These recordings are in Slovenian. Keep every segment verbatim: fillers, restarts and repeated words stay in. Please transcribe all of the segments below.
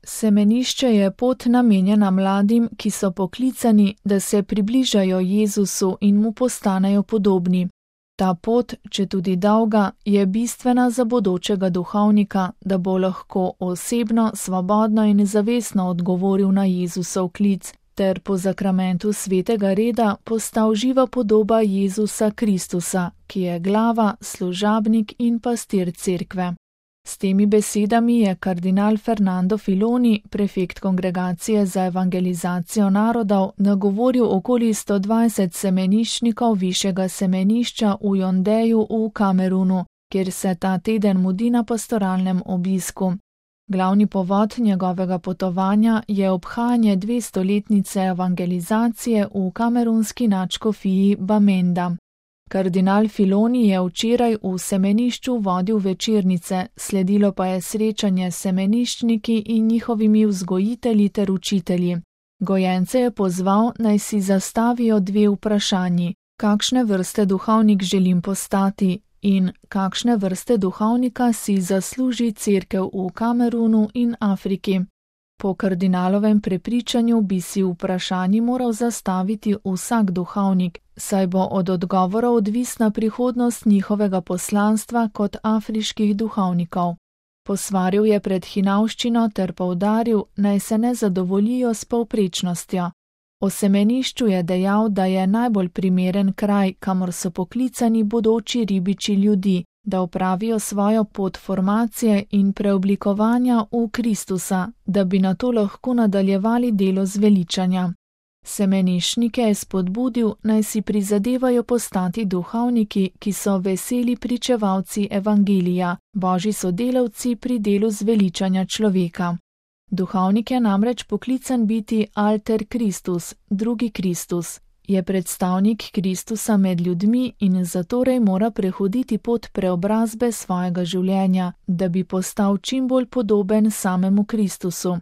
Semenišče je pot namenjena mladim, ki so poklicani, da se približajo Jezusu in mu postanejo podobni. Ta pot, četudi dolga, je bistvena za bodočega duhovnika, da bo lahko osebno, svobodno in zavestno odgovoril na Jezusov klic, ter po zakramentu svetega reda postal živa podoba Jezusa Kristusa, ki je glava, služabnik in pastir cerkve. S temi besedami je kardinal Fernando Filoni, prefekt Kongregacije za evangelizacijo narodov, nagovoril okoli sto dvajset semeniščnikov višjega semenišča v Jondeju v Kamerunu, kjer se ta teden mudi na pastoralnem obisku. Glavni povod njegovega potovanja je obhajanje dvestoletnice evangelizacije v kamerunski nadškofiji Bamenda. Kardinal Filoni je včeraj v semenišču vodil večernice, sledilo pa je srečanje s semeniščniki in njihovimi vzgojitelji ter učitelji. Gojence je pozval, naj si zastavijo dve vprašanji: kakšne vrste duhovnik želim postati in kakšne vrste duhovnika si zasluži cerkev v Kamerunu in Afriki. Po kardinalovem prepričanju bi si vprašanji moral zastaviti vsak duhovnik, saj bo od odgovora odvisna prihodnost njihovega poslanstva kot afriških duhovnikov. Posvaril je pred hinavščino ter poudaril, naj se ne zadovoljijo s povprečnostjo. O semenišču je dejal, da je najbolj primeren kraj, kamor so poklicani bodoči ribiči ljudi, da opravijo svojo pot formacije in preoblikovanja v Kristusa, da bi nato lahko nadaljevali delo zveličanja. Semeniščnike je spodbudil, naj si prizadevajo postati duhovniki, ki so veseli pričevalci evangelija, božji sodelavci pri delu zveličanja človeka. Duhovnik je namreč poklican biti alter Kristus, drugi Kristus. Je predstavnik Kristusa med ljudmi in zatorej mora prehoditi pot preobrazbe svojega življenja, da bi postal čim bolj podoben samemu Kristusu.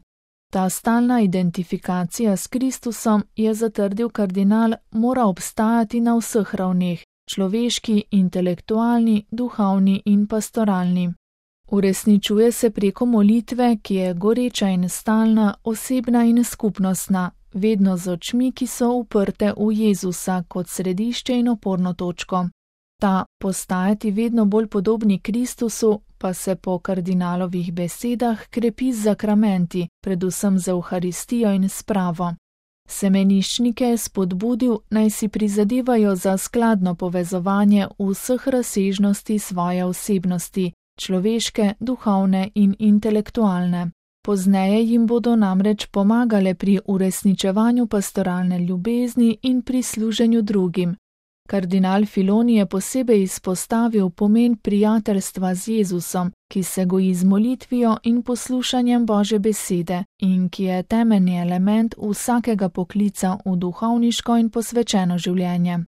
Ta stalna identifikacija s Kristusom, je zatrdil kardinal, mora obstajati na vseh ravneh: človeški, intelektualni, duhovni in pastoralni. Uresničuje se preko molitve, ki je goreča in stalna, osebna in skupnostna, vedno z očmi, ki so uprte v Jezusa kot središče in oporno točko. Ta postajati vedno bolj podobni Kristusu pa se po kardinalovih besedah krepi z zakramenti, predvsem z Evharistijo in spravo. Semeniščnike je spodbudil, naj si prizadevajo za skladno povezovanje vseh razsežnosti svoje osebnosti, človeške, duhovne in intelektualne. Pozneje jim bodo namreč pomagale pri uresničevanju pastoralne ljubezni in pri služenju drugim. Kardinal Filoni je posebej izpostavil pomen prijateljstva z Jezusom, ki se goji z molitvijo in poslušanjem Božje besede in ki je temeljni element vsakega poklica v duhovniško in posvečeno življenje.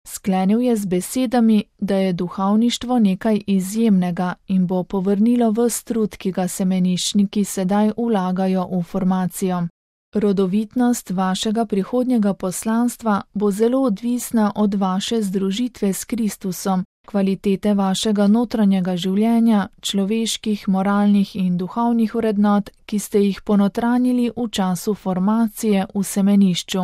Sklenil je z besedami, da je duhovništvo nekaj izjemnega in bo povrnilo ves trud, ki ga semeniščniki sedaj vlagajo v formacijo. Rodovitnost vašega prihodnjega poslanstva bo zelo odvisna od vaše združitve s Kristusom, kvalitete vašega notranjega življenja, človeških, moralnih in duhovnih vrednot, ki ste jih ponotranjili v času formacije v semenišču.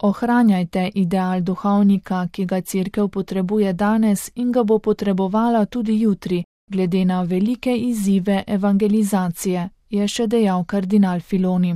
Ohranjajte ideal duhovnika, ki ga cerkev potrebuje danes in ga bo potrebovala tudi jutri, glede na velike izzive evangelizacije, je še dejal kardinal Filoni.